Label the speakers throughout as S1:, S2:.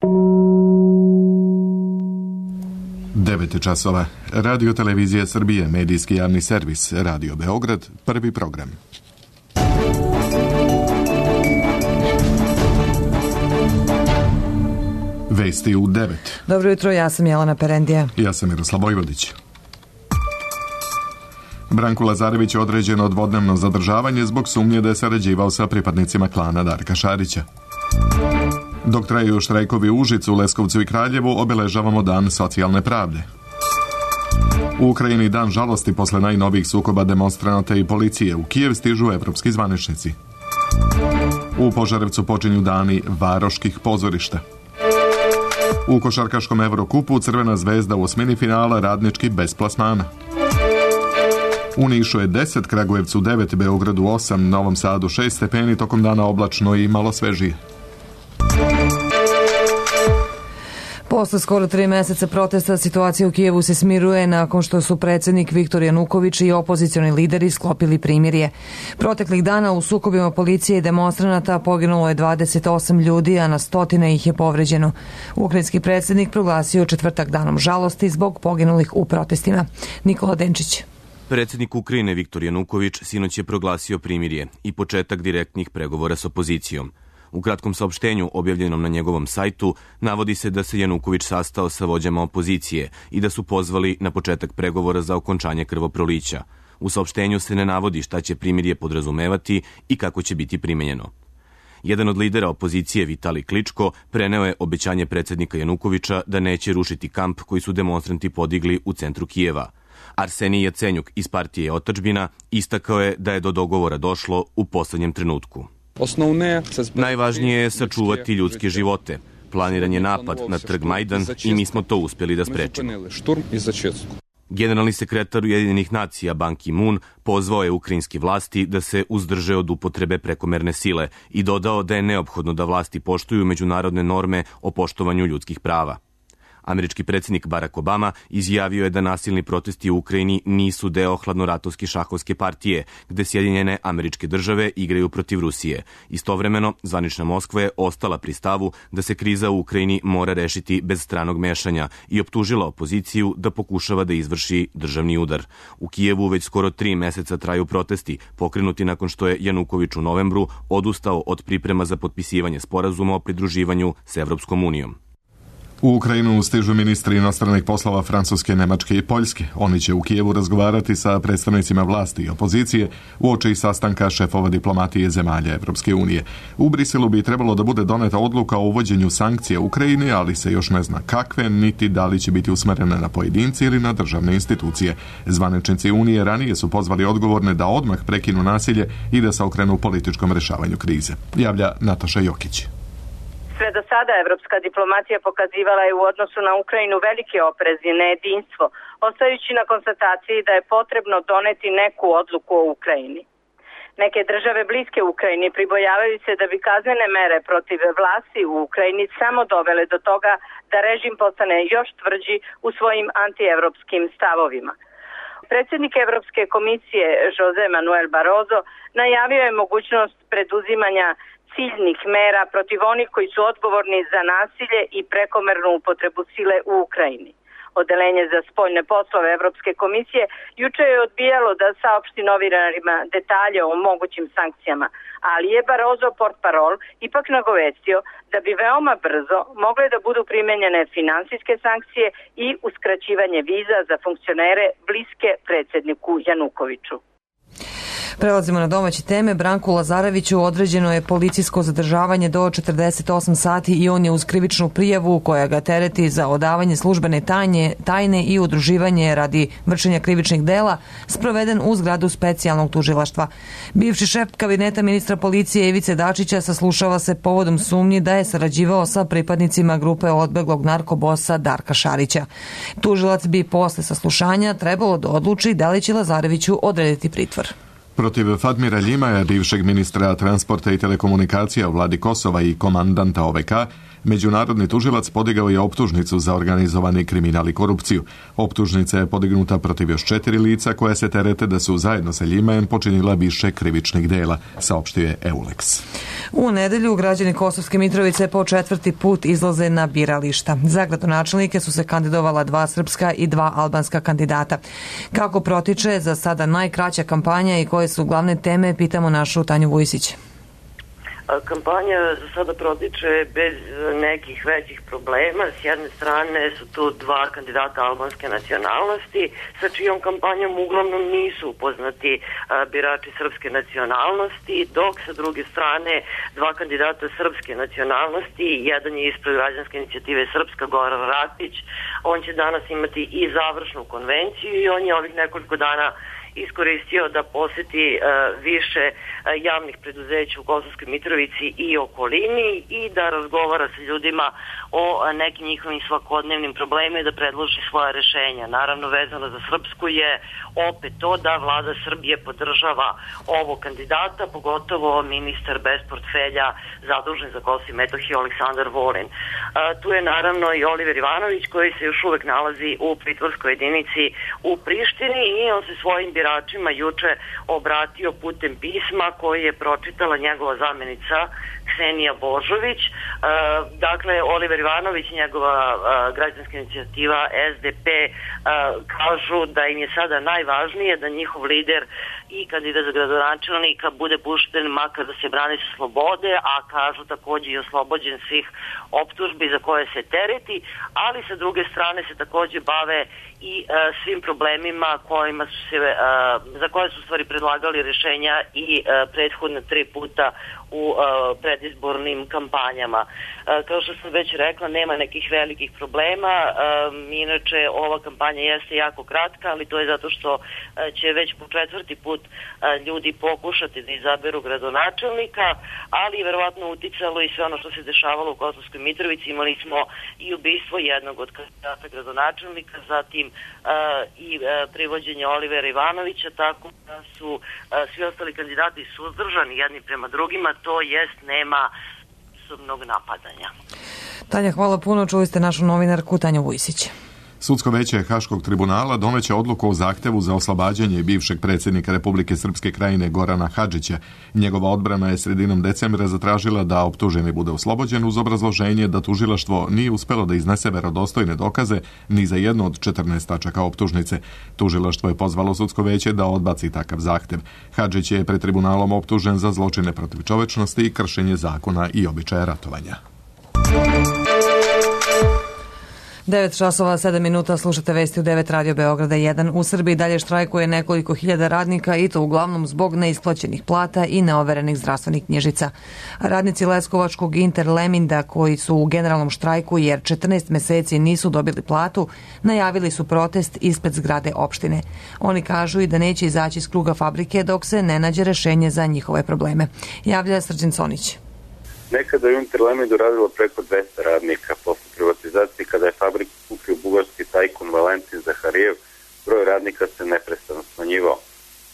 S1: 9 časova. Radio Televizija Srbije, medijski javni servis, Radio Beograd, prvi program. Vesti u 9.
S2: Dobro jutro, ja sam Jelena Perendija.
S1: Ja sam Miroslav Vojvodić. Branku Lazarević je određeno dvodnevno zadržavanje zbog sumnje da je sarađivao sa pripadnicima klana Darka Šarića. Dok traju štrajkovi u Užicu, Leskovcu i Kraljevu, obeležavamo Dan socijalne pravde. U Ukrajini dan žalosti posle najnovijih sukoba demonstranata i policije. U Kijev stižu evropski zvaničnici. U Požarevcu počinju dani varoških pozorišta. U košarkaškom Evrokupu Crvena zvezda u osmini finala, Radnički bez plasmana. U Nišu je 10, Kragujevcu 9, Beogradu 8, Novom Sadu 6 stepeni, tokom dana oblačno i malo svežije.
S2: Posle skoro 3 meseca protesta, situacija u Kijevu se smiruje nakon što su predsjednik Viktor Januković i opozicioni lideri sklopili primirje. Proteklih dana u sukobima policije i demonstranata poginulo je 28 ljudi, a na stotine ih je povređeno. Ukrajinski predsjednik proglasio četvrtak danom žalosti zbog poginulih u protestima. Nikola Denčić.
S3: Predsjednik Ukrajine Viktor Januković sinoć je proglasio primirje i početak direktnih pregovora s opozicijom. U kratkom saopštenju objavljenom na njegovom sajtu navodi se da se Januković sastao sa vođama opozicije i da su pozvali na početak pregovora za okončanje krvoprolića. U saopštenju se ne navodi šta će primirje podrazumevati i kako će biti primenjeno. Jedan od lidera opozicije, Vitali Kličko, preneo je obećanje predsjednika Janukovića da neće rušiti kamp koji su demonstranti podigli u centru Kijeva. Arsenij Jacenjuk iz partije Otadžbina istakao je da je do dogovora došlo u poslednjem trenutku. Najvažnije je sačuvati ljudske živote. Planiran je napad na trg Majdan i mi smo to uspjeli da sprečimo. Generalni sekretar Ujedinjenih nacija Ban Ki-moon pozvao je ukrajinske vlasti da se uzdrže od upotrebe prekomerne sile i dodao da je neophodno da vlasti poštuju međunarodne norme o poštovanju ljudskih prava. Američki predsjednik Barack Obama izjavio je da nasilni protesti u Ukrajini nisu deo hladnoratovske šahovske partije, gde Sjedinjene Američke Države igraju protiv Rusije. Istovremeno, zvanična Moskva je ostala pri stavu da se kriza u Ukrajini mora rešiti bez stranog mešanja i optužila opoziciju da pokušava da izvrši državni udar. U Kijevu već skoro 3 meseca traju protesti, pokrenuti nakon što je Januković u novembru odustao od priprema za potpisivanje sporazuma o pridruživanju s Evropskom unijom.
S1: U Ukrajinu stižu ministri inostranih poslova Francuske, Nemačke i Poljske. Oni će u Kijevu razgovarati sa predstavnicima vlasti i opozicije uoči sastanka šefova diplomatije zemalja Evropske unije. U Briselu bi trebalo da bude doneta odluka o uvođenju sankcija u Ukrajini, ali se još ne zna kakve, niti da li će biti usmerene na pojedince ili na državne institucije. Zvaničnici Unije ranije su pozvali odgovorne da odmah prekinu nasilje i da se okrenu političkom rešavanju krize. Javlja Nataša Jokić.
S4: Sve do sada evropska diplomatija pokazivala je u odnosu na Ukrajinu veliki oprez i nejedinstvo, ostajući na konstataciji da je potrebno doneti neku odluku o Ukrajini. Neke države bliske Ukrajini pribojavaju se da bi kaznene mere protiv vlasti u Ukrajini samo dovele do toga da režim postane još tvrđi u svojim antievropskim stavovima. Predsjednik Evropske komisije Jose Manuel Barroso najavio je mogućnost preduzimanja ciljnih mera protiv onih koji su odgovorni za nasilje i prekomernu upotrebu sile u Ukrajini. Odeljenje za spoljne poslove Evropske komisije juče je odbijalo da saopšti novinarima detalje o mogućim sankcijama, ali je Barroso portparol ipak nagovestio da bi veoma brzo mogle da budu primenjene finansijske sankcije i uskraćivanje viza za funkcionere bliske predsjedniku Janukoviću.
S2: Prelazimo na domaće teme. Branku Lazareviću određeno je policijsko zadržavanje do 48 sati i on je uz krivičnu prijavu koja ga tereti za odavanje službene tajne i udruživanje radi vršenja krivičnih dela sproveden u zgradu specijalnog tužilaštva. Bivši šef kabineta ministra policije Ivice Dačića saslušava se povodom sumnji da je sarađivao sa pripadnicima grupe odbeglog narkobosa Darka Šarića. Tužilac bi posle saslušanja trebalo da odluči da li će Lazareviću odrediti pritvor.
S1: Protiv Fatmira Ljimaja, bivšeg ministra transporta i telekomunikacija u vladi Kosova i komandanta OVK, Međunarodni tužilac podigao je optužnicu za organizovani kriminal i korupciju. Optužnica je podignuta protiv još 4 lica koja se terete da su zajedno sa njima počinila više krivičnih dela, saopštio je EULEX.
S2: U nedelju građani Kosovske Mitrovice po 4. put izlaze na birališta. Za gradonačelnike su se kandidovala 2 srpska i 2 albanska kandidata. Kako protiče za sada najkraća kampanja i koje su glavne teme, pitamo našu Tanju Vujsić.
S5: Kampanja za sada protiče bez nekih većih problema. S jedne strane su tu 2 kandidata albanske nacionalnosti sa čijom kampanjom uglavnom nisu upoznati birači srpske nacionalnosti, dok sa druge strane 2 kandidata srpske nacionalnosti, jedan je ispred građanske inicijative Srpska, Goran Ratić, on će danas imati i završnu konvenciju i on je ovih nekoliko dana iskoristio da poseti više javnih preduzeća u Kosovskoj Mitrovici i okolini i da razgovara sa ljudima o nekim njihovim svakodnevnim problemima i da predloži svoja rešenja. Naravno, vezano za Srpsku je opet to da vlada Srbije podržava ovog kandidata, pogotovo ministar bez portfelja zadužen za Kosovo i Metohiju Aleksandar Vulin. Tu je naravno i Oliver Ivanović koji se još uvek nalazi u pritvorskoj jedinici u Prištini i on se svojim biračima juče obratio putem pisma koji je pročitala njegova zamenica Ksenija Božović. Dakle, Oliver Ivanović i njegova građanska inicijativa SDP kažu da im je sada najvažnije da njihov lider i kandidat za gradonačelnika bude pušten makar da se brani sa slobode, a kažu takođe i oslobođen svih optužbi za koje se tereti, ali sa druge strane se takođe bave i svim problemima kojima su se, za koje su stvari predlagali rešenja i prethodne 3 puta u predizbornim kampanjama. Kao što sam već rekla, nema nekih velikih problema, inače ova kampanja jeste jako kratka, ali to je zato što će već po 4. put ljudi pokušati da izaberu gradonačelnika, ali verovatno uticalo i sve ono što se dešavalo u Kosovskoj Mitrovici. Imali smo i ubistvo jednog od kandidata gradonačelnika, zatim i privođenje Olivera Ivanovića, tako da su svi ostali kandidati suzdržani jedni prema drugima, to jest nema osobnog napadanja.
S2: Tanja, hvala puno. Čuli ste našu novinarku Tanju Vujsić.
S1: Sudsko veće Haškog tribunala doneće odluku o zahtevu za oslobađanje bivšeg predsjednika Republike Srpske Krajine Gorana Hadžića. Njegova odbrana je sredinom decembra zatražila da optuženi bude oslobođen uz obrazloženje da tužilaštvo nije uspelo da iznese verodostojne dokaze ni za jednu od 14 tačaka optužnice. Tužilaštvo je pozvalo sudsko veće da odbaci takav zahtev. Hadžić je pred tribunalom optužen za zločine protiv čovečnosti i kršenje zakona i običaja ratovanja.
S2: 9 časova, 7 minuta, slušate vesti u 9 Radio Beograda 1. U Srbiji dalje štrajkuje nekoliko hiljada radnika i to uglavnom zbog neisplaćenih plata i neoverenih zdravstvenih knjižica. Radnici Leskovačkog Interleminda koji su u generalnom štrajku jer 14 meseci nisu dobili platu, najavili su protest ispred zgrade opštine. Oni kažu i da neće izaći iz kruga fabrike dok se ne nađe rešenje za njihove probleme. Javlja Srđan Conić.
S6: Nekada je u Interlemindu radilo preko 200 radnika. Posle privatizacije, kada je fabriku kupio bugarski tajkun Valentin Zaharijev, broj radnika se neprestano smanjivao.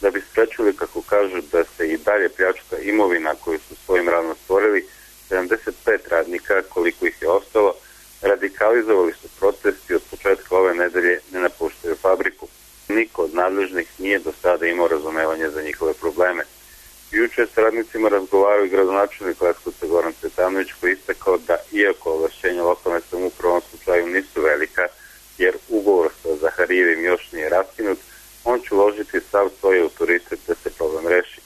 S6: Da bi sprečili, kako kažu, da se i dalje pljačka imovina koju su svojim radom stvorili, 75 radnika, koliko ih je ostalo, radikalizovali su protesti od početka ove nedelje ne napuštaju fabriku. Niko od nadležnih nije do sada imao razumevanje za njihove probleme. Juče s radnicima razgovarao i gradonačelnik Leskovca Goran Cvetanović koji istakao da iako ovlašćenja lokalne samouprave u ovom slučaju nisu velika, jer ugovor sa Zaharijevim još nije raskinut, on će uložiti sav svoj autoritet da se problem reši.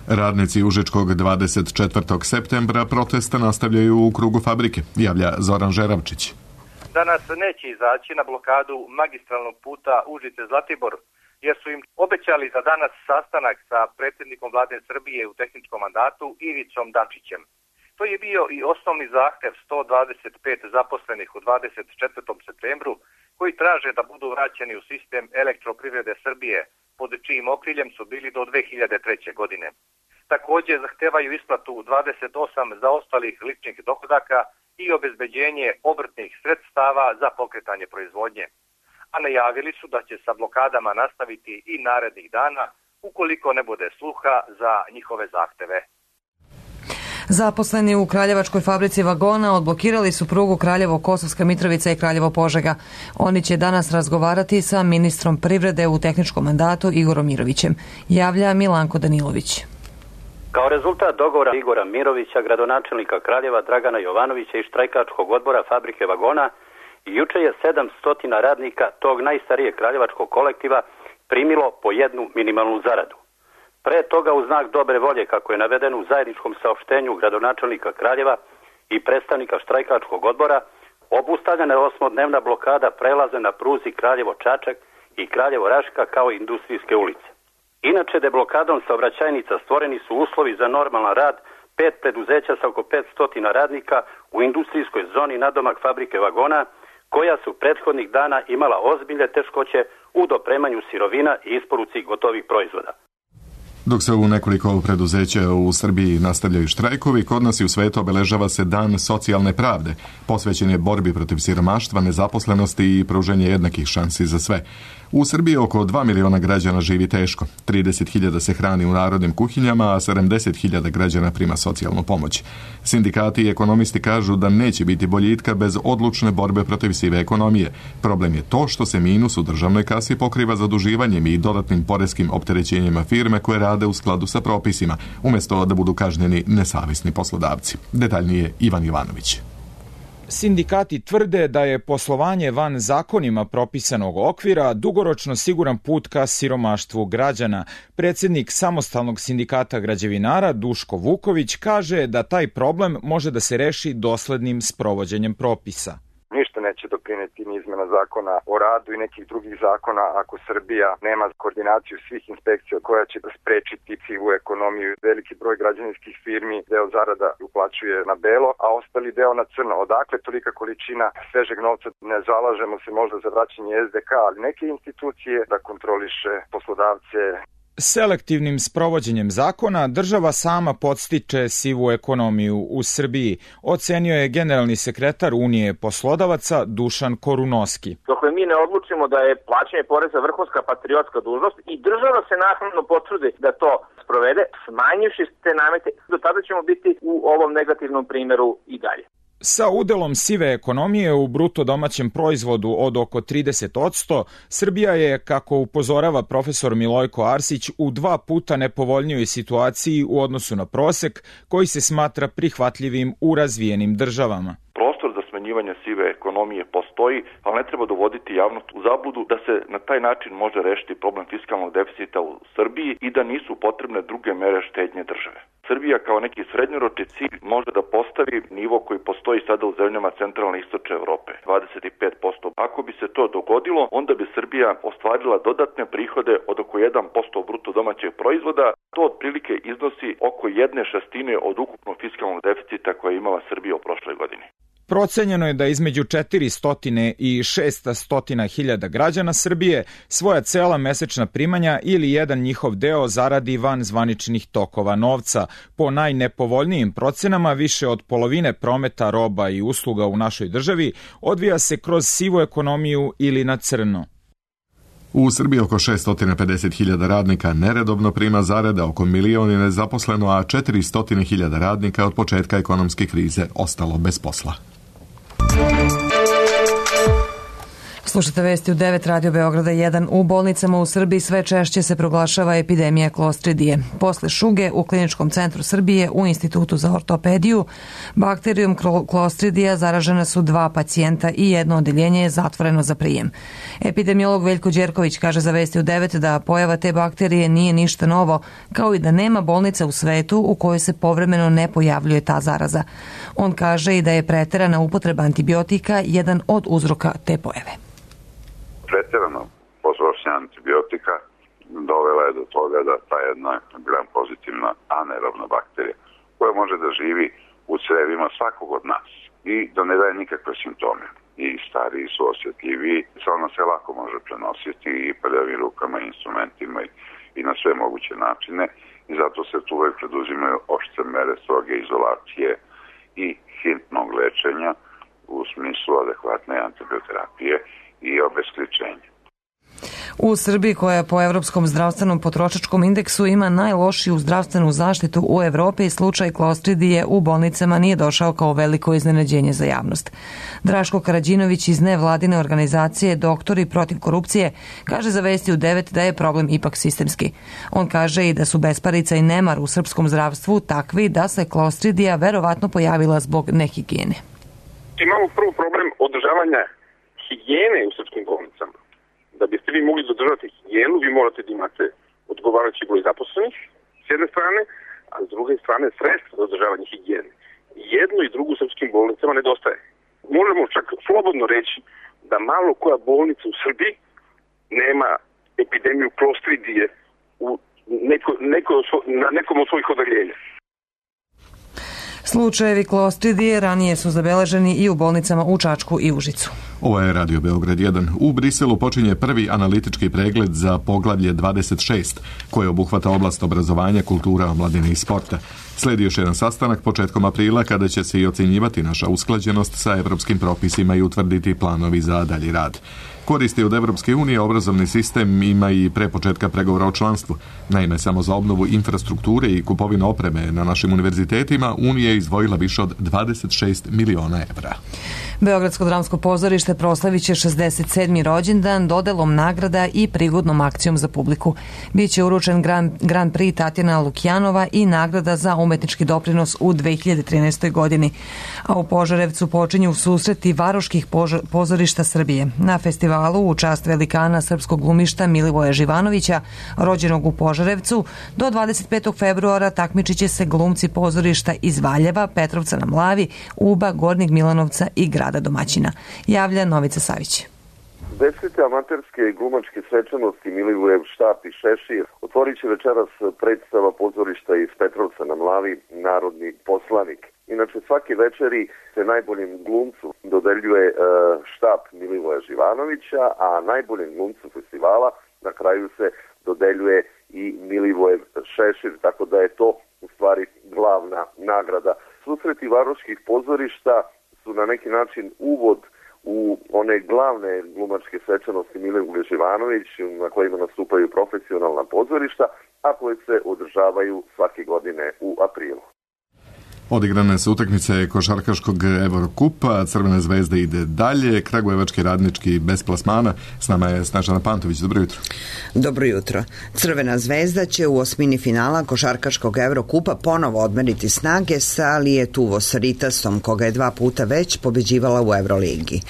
S1: Radnici Užičkog 24. septembra protesta nastavljaju u krugu fabrike, javlja Zoran Žeravčić.
S7: Danas neće izaći na blokadu magistralnog puta Užice-Zlatibor, jer su im obećali za danas sastanak sa predsjednikom vlade Srbije u tehničkom mandatu Ivicom Dačićem. To je bio i osnovni zahtev 125 zaposlenih u 24. septembru koji traže da budu vraćeni u sistem elektroprivrede Srbije, pod čijim okriljem su bili do 2003. godine. Također zahtevaju isplatu 28 zaostalih ličnih dohodaka i obezbeđenje obrtnih sredstava za pokretanje proizvodnje. A najavili su da će sa blokadama nastaviti i narednih dana ukoliko ne bude sluha za njihove zahteve.
S2: Zaposleni u Kraljevačkoj fabrici vagona odblokirali su prugu Kraljevo-Kosovska Mitrovica i Kraljevo-Požega. Oni će danas razgovarati sa ministrom privrede u tehničkom mandatu Igorom Mirovićem, javlja Milanko Danilović.
S8: Kao rezultat dogovora Igora Mirovića, gradonačelnika Kraljeva Dragana Jovanovića i štrajkačkog odbora fabrike vagona, juče je 700 radnika tog najstarijeg kraljevačkog kolektiva primilo po jednu minimalnu zaradu. Pre toga, u znak dobre volje, kako je navedeno u zajedničkom saopštenju gradonačelnika Kraljeva i predstavnika štrajkačkog odbora, obustavljena je 8-dnevna blokada prelaze na pruzi Kraljevo-Čačak i Kraljevo-Raška kao industrijske ulice. Inače, deblokadom saobraćajnica stvoreni su uslovi za normalan rad 5 preduzeća sa oko 500 radnika u industrijskoj zoni nadomak fabrike vagona, koja su prethodnih dana imala ozbiljne teškoće u dopremanju sirovina i isporuci gotovih proizvoda.
S1: Dok se u nekoliko preduzeća u Srbiji nastavljaju štrajkovi, kod nas i u svetu obeležava se Dan socijalne pravde. Posvećen je borbi protiv siromaštva, nezaposlenosti i pružanje jednakih šansi za sve. U Srbiji oko 2 miliona građana živi teško. 30.000 se hrani u narodnim kuhinjama, a 70.000 građana prima socijalnu pomoć. Sindikati i ekonomisti kažu da neće biti boljitka bez odlučne borbe protiv sive ekonomije. Problem je to što se minus u državnoj kasi pokriva zaduživanjem i dodatnim poreskim opterećenjima firme koje rade u skladu sa propisima, umjesto da budu kažnjeni nesavesni poslodavci. Detaljnije Ivan Jovanović.
S9: Sindikati tvrde da je poslovanje van zakonima propisanog okvira dugoročno siguran put ka siromaštvu građana. Predsjednik Samostalnog sindikata građevinara Duško Vuković kaže da taj problem može da se reši doslednim sprovođenjem propisa.
S10: Ništa neće doprineti ni izmena zakona o radu i nekih drugih zakona ako Srbija nema koordinaciju svih inspekcija koja će sprečiti sivu ekonomiju. Veliki broj građevinskih firmi deo zarada uplaćuje na belo, a ostali deo na crno. Odakle tolika količina svežeg novca? Ne zalažemo se možda za vraćanje SDK, ali neke institucije da kontroliše poslodavce.
S9: Selektivnim sprovođenjem zakona država sama podstiče sivu ekonomiju u Srbiji, ocenio je generalni sekretar Unije poslodavaca Dušan Korunoski.
S11: Dokle mi ne odlučimo da je plaćanje poreza vrhunska patriotska dužnost i država se naknadno potrudi da to sprovede, smanjivši te namete, do tada ćemo biti u ovom negativnom primjeru i dalje.
S9: Sa udelom sive ekonomije u bruto domaćem proizvodu od oko 30%, Srbija je, kako upozorava profesor Milojko Arsić, u 2 puta nepovoljnijoj situaciji u odnosu na prosek koji se smatra prihvatljivim u razvijenim državama.
S12: Prostor za smanjivanje sive ekonomije postoji, ali ne treba dovoditi javnost u zabludu da se na taj način može rešiti problem fiskalnog deficita u Srbiji i da nisu potrebne druge mere štednje države. Srbija kao neki srednjoročni cilj može da postavi nivo koji postoji sada u zemljama centralne i istočne Evrope, 25%. Ako bi se to dogodilo, onda bi Srbija ostvarila dodatne prihode od oko 1% bruto domaćeg proizvoda. To otprilike iznosi oko 1/6 od ukupnog fiskalnog deficita koje je imala Srbija u prošloj godini.
S9: Procenjeno je da između 400 i 600 hiljada građana Srbije svoja cela mesečna primanja ili jedan njihov deo zaradi van zvaničnih tokova novca. Po najnepovoljnijim procenama, više od polovine prometa roba i usluga u našoj državi odvija se kroz sivu ekonomiju ili na crno.
S1: U Srbiji oko 650.000 radnika neredovno prima zarade, oko 1 milion je nezaposleno, a 400.000 radnika od početka ekonomske krize ostalo bez posla.
S2: Slušate vesti u 9 Radio Beograda 1. U bolnicama u Srbiji sve češće se proglašava epidemija klostridije. Posle šuge u Kliničkom centru Srbije u Institutu za ortopediju bakterijom klostridija zaražena su 2 pacijenta i jedno odeljenje je zatvoreno za prijem. Epidemiolog Veljko Đerković kaže za vesti u 9 da pojava te bakterije nije ništa novo, kao i da nema bolnice u svetu u kojoj se povremeno ne pojavljuje ta zaraza. On kaže i da je preterana upotreba antibiotika jedan od uzroka te pojave.
S13: Pretjerano potrošnja antibiotika dovela je do toga da ta jedna gram pozitivna anaerobna bakterija koja može da živi u crevima svakog od nas i da ne daje nikakve simptome. I stariji su osjetljiviji, ona se lako može prenositi i prljavim rukama, instrumentima i na sve moguće načine i zato se tu uvek preduzimaju oštre mere stroge izolacije i hitnog lečenja u smislu adekvatne antibioterapije i obesključenja.
S2: U Srbiji, koja po Evropskom zdravstvenom potrošačkom indeksu ima najlošiju zdravstvenu zaštitu u Evropi, slučaj klostridije u bolnicama nije došao kao veliko iznenađenje za javnost. Draško Karađinović iz nevladine organizacije Doktori protiv korupcije kaže za Vesti u 9 da je problem ipak sistemski. On kaže i da su besparica i nemar u srpskom zdravstvu takvi da se klostridija verovatno pojavila zbog nehigijene.
S14: Imamo prvo problem održavanja higijene u srpskim bolnicama. Da biste vi mogli zadržati higijenu, vi morate da imate odgovarajući broj zaposlenih s jedne strane, a s druge strane sredstva za održavanje higijene. Jedno i drugo u srpskim bolnicama nedostaje. Možemo čak slobodno reći da malo koja bolnica u Srbiji nema epidemiju klostridije na nekom od svojih odeljenja.
S2: Slučajevi klostridije ranije su zabeleženi i u bolnicama u Čačku i Užicu.
S1: Ovo je Radio Beograd 1. U Briselu počinje prvi analitički pregled za poglavlje 26, koje obuhvata oblast obrazovanja, kultura, omladine i sporta. Slijedi još jedan sastanak početkom aprila kada će se i ocjenjivati naša usklađenost sa evropskim propisima i utvrditi planovi za dalji rad. Koristi od Evropske unije obrazovni sistem ima i pre početka pregovora o članstvu. Naime, samo za obnovu infrastrukture i kupovinu opreme na našim univerzitetima Unija je izdvojila više od 26 miliona evra.
S2: Beogradsko dramsko pozorište proslavit će 67. rođendan dodelom nagrada i prigodnom akcijom za publiku. Biće uručen Grand Prix Tatjana Lukjanova i nagrada za umetnički doprinos u 2013. godini. A u Požarevcu počinju susreti varoških pozorišta Srbije. Na festivalu u čast velikana srpskog glumišta Milivoja Živanovića, rođenog u Požarevcu, do 25. februara takmičit će se glumci pozorišta iz Valjeva, Petrovca na Mlavi, Uba, Gornjeg Milanovca i grada domaćina. Javlja Novica Savić.
S15: 10. amaterske glumačke svečanosti Milivojev štap i šešir otvorit će večeras predstava pozorišta iz Petrovca na Mlavi Narodni poslanik. Inače, svake večeri se najboljem glumcu dodeljuje štap Milivoja Živanovića, a najboljem glumcu festivala na kraju se dodeljuje i Milivojev šešir, tako da je to u stvari glavna nagrada. Susreti varoških pozorišta su na neki način uvod u one glavne glumačke svečanosti Milivoje Živanović na kojima nastupaju profesionalna pozorišta, a koje se održavaju svake godine u aprilu.
S1: Odigrane su utakmice košarkaškog Evrokupa, Crvena zvezda ide dalje, Kragujevački radnički bez plasmana. S nama je Snežana Pantović, dobro jutro.
S16: Dobro jutro. Crvena zvezda će u osmini finala košarkaškog Evrokupa ponovo odmeriti snage sa Lietuvos Ritasom, koga je 2 puta već pobeđivala u Evroligi.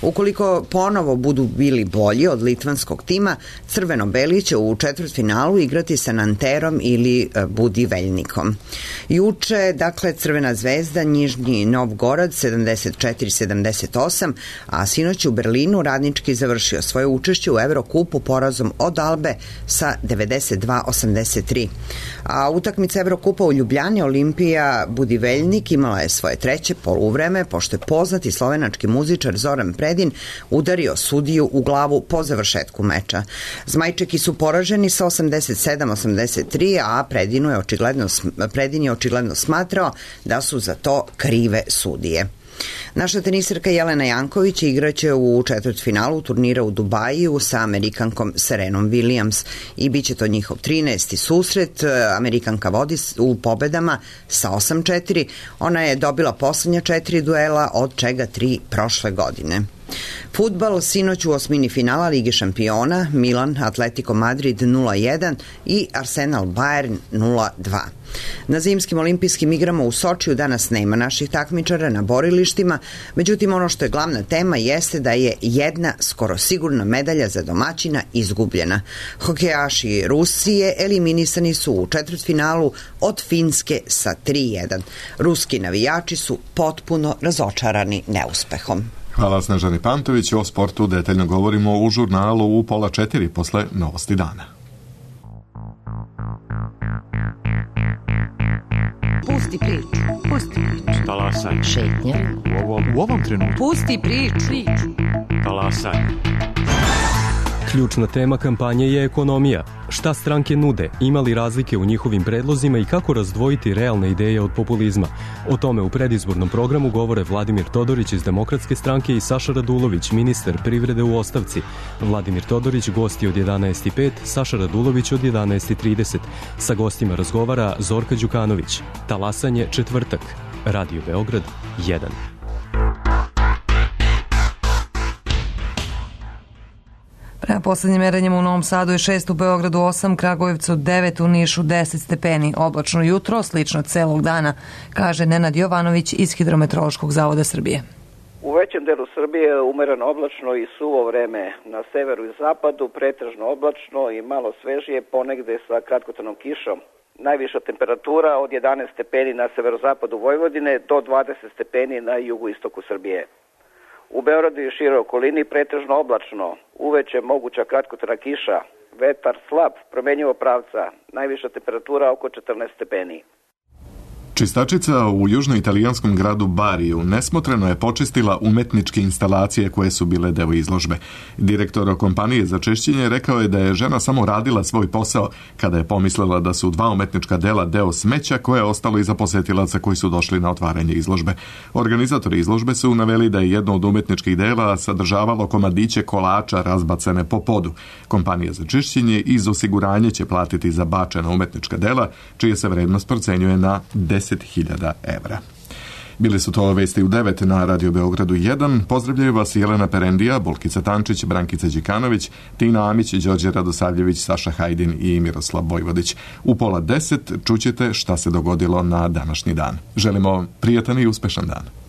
S16: Ukoliko ponovo budu bili bolji od litvanskog tima, crveno-beli će u četvrtfinalu igrati sa Nanterom ili Budiveljnikom. Juče, dakle, Crvena zvezda, Nižnji Novgorod 74-78, a sinoć u Berlinu radnički završio svoje učešće u Evrokupu porazom od Albe sa 92-83. A utakmica Evrokupa u Ljubljani Olimpija Budiveljnik imala je svoje treće poluvreme, pošto je poznati slovenački muzičar Zoran Predin udario sudiju u glavu po završetku meča. Zmajčeki su poraženi sa 87-83, a Predin je očigledno smatrao da su za to krive sudije. Naša tenisirka Jelena Janković igraće u četvrtfinalu turnira u Dubaju sa Amerikankom Serenom Williams i bit će to njihov 13. susret. Amerikanka vodi u pobedama sa 8-4. Ona je dobila poslednja 4 duela, od čega 3 prošle godine. Fudbal, sinoć u osmini finala Lige šampiona, Milan Atletico Madrid 0-1 i Arsenal Bayern 0-2. Na zimskim olimpijskim igrama u Sočiju danas nema naših takmičara na borilištima, međutim ono što je glavna tema jeste da je jedna skoro sigurna medalja za domaćina izgubljena. Hokejaši Rusije eliminisani su u četvrtfinalu od Finske sa 3-1. Ruski navijači su potpuno razočarani neuspehom.
S1: Hvala Snežani Pantović. O sportu detaljno govorimo u žurnalu u 3:30 posle Novosti dana.
S17: Pusti priču. Talasaj. Šetnja. U ovom trenutku. Pusti priču. Talasaj.
S18: Ključna tema kampanje je ekonomija. Šta stranke nude, ima li razlike u njihovim predlozima i kako razdvojiti realne ideje od populizma? O tome u predizbornom programu govore Vladimir Todorić iz Demokratske stranke i Saša Radulović, ministar privrede u ostavci. Vladimir Todorić gosti od 11:05, Saša Radulović od 11:30. Sa gostima razgovara Zorka Đukanović. Talasanje četvrtak. Radio Beograd 1.
S2: Prema poslednjim merenjima u Novom Sadu je 6, u Beogradu 8, Kragujevcu 9, u Nišu 10 stepeni. Oblačno jutro, slično celog dana, kaže Nenad Jovanović iz Hidrometeorološkog zavoda Srbije.
S19: U većem delu Srbije umereno oblačno i suvo vreme. Na severu i zapadu pretežno oblačno i malo svežije, ponegde sa kratkotrajnom kišom. Najviša temperatura od 11 stepeni na severozapadu Vojvodine do 20 stepeni na jugoistoku Srbije. U Beogradu i široj okolini pretežno oblačno, uveče moguća kratkotrajna kiša, vetar slab, promenjivo pravca, najviša temperatura oko 14 stepeni.
S1: Čistačica u južnoitalijanskom gradu Bariju nesmotreno je počistila umetničke instalacije koje su bile deo izložbe. Direktor kompanije za čišćenje rekao je da je žena samo radila svoj posao kada je pomislila da su 2 umetnička dela deo smeća koje je ostalo iza posetilaca koji su došli na otvaranje izložbe. Organizatori izložbe su naveli da je jedno od umetničkih dela sadržavalo komadiće kolača razbacane po podu. Kompanija za čišćenje iz osiguranja će platiti za bačena umetnička dela, čija se vrednost procenjuje na 10.000 evra. Bili su to vesti u 9 na Radio Beogradu 1. Pozdravljaju vas Jelena Perendija, Bolkica Tančić, Brankica Đikanović, Tina Amić, Đorđe Radosavljević, Saša Hajdin i Miroslav Bojvodić. U 9:30 čućete šta se dogodilo na današnji dan. Želimo prijatan i uspešan dan.